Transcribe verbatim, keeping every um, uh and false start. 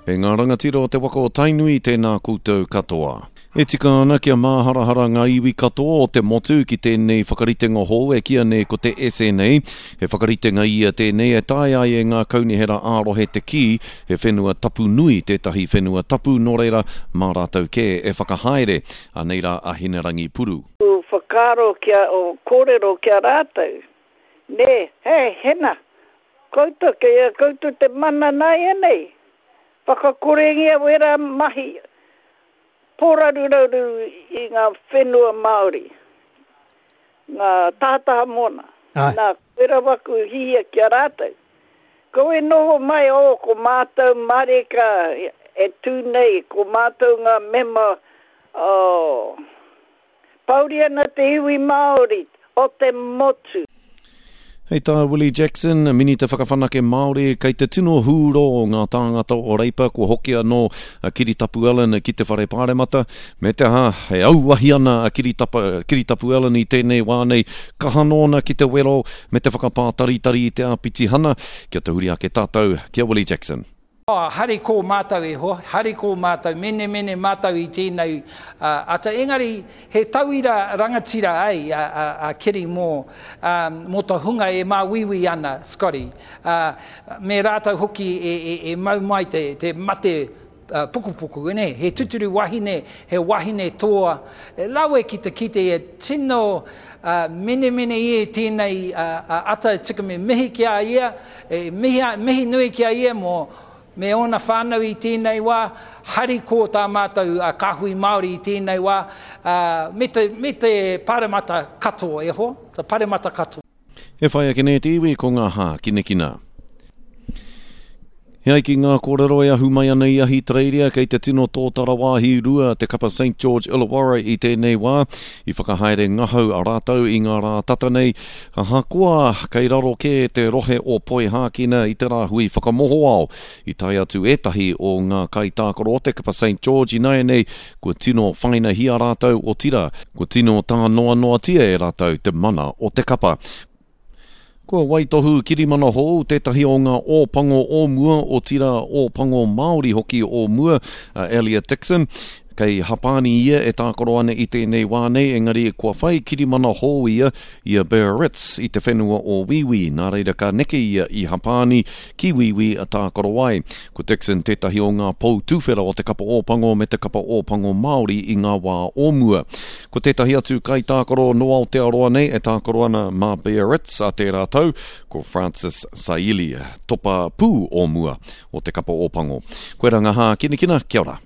E ngā rangatira o te waka o Tainui, tēnā koutou katoa. E tika ana kia māharahara ngā iwi katoa o te motu ki tēnei whakaritenga hou e kīia nei ko te S N A. He whakaritenga ia tēnei e taea ai e ngā kaunihera ā-rohe te kī he whenua tapu nui tētahi whenua tapu, nō reira mā rātou kē e whakahaere. Anei rā a Hinerangi Puru. O whakaaro kia o kōrero ki a rātou. Nē, he, hena, koutou, kei a koutou te mana nāianei. Whakakorengia wera mahi pōraruraru i ngā whenua Māori, ngā tahataha moana. Ai. Nā, koira waku hihia ki a rātou. Ko e noho mai o, ko mātou mareka e tū nei, ko mātou ngā mema o Pauri ana te iwi Māori o te motu. Hei tā Willie Jackson, Minita Whakawhanake Māori, kei te tino hūrō ngā tāngata o Reipa kua hoki anō a Kiritapu Allan ki te whare pāremata. Me te aha, e auahi ana a Kiritapa, Kiritapu Allan i tēnei wā nei, kaha nōna ki te wero me te whakapātaritari i te āpitihana. Kia tahuri ake tātou ki a Willie Jackson. Oh, hari ko mātou e hoa, hari ko mātou, mene mene mātou i tēnei uh, ata. Engari, he tauira rangatira ai a, a, a Kiri mō, um, mō te hunga e māuiui ana, Scotty. Uh, me rātou hoki e, e, e mau mai te, te mate uh, pukupuku, ne? He tuturu wahine, he wahine toa. E lawe ki te kite e tino uh, mene mene i e tēnei uh, uh, ata e tika me mihi ki a ia, e mihi, mihi nui ki a ia mō me ōna whānau i tēnei wā, hari ko tā mātou uh, kāhui Māori i tēnei wā, uh, me, te, me te paremata katoa e hoa, te paremata katoa. E whai ake nei te iwi ko ngā hākinakina. He ai ki ngā kōrero e ahu mai ana i Ahitereiria, kei te tino tōtara wāhi rua te kapa Saint George Illawarra i tēnei wā. I whakahaere ngahau a rātou i ngā rā tata nei. Ahakoa kei raro kē te rohe o Poihākina i te rāhui whakamohoao. I tae atu ētahi o ngā kaitākaro o te kapa Saint George ināianei, kua tino whainahia rātou, otirā, kua tino tānoanoatia e rātou te mana o te kapa. Kua waitohu kirimana hou tētahi o ngā Ōpango o mua, otirā Ōpango Māori hoki o mua, a Elliot Dixon. Kei Hapani ia e tākaro ana i tēnei wā nei, engari kua whai kirimana hou ia i a Biarritz i te whenua o Wīwī. Nā reira ka neke ia i Hapani ki Wīwī a tākaro ai. Ko Dixon tētahi o ngā pou tūwhera o te kapa Ōpango me te kapa Ōpango Māori i ngā wā o mua. Ko tētahi atu kaitākaro no Aotearoa nei e tākaro ana mā Biarritz a tērā tau, ko Francis Saili, topa pū o mua o te kapa Ōpango. Koera ngā hākinakina, kia ora.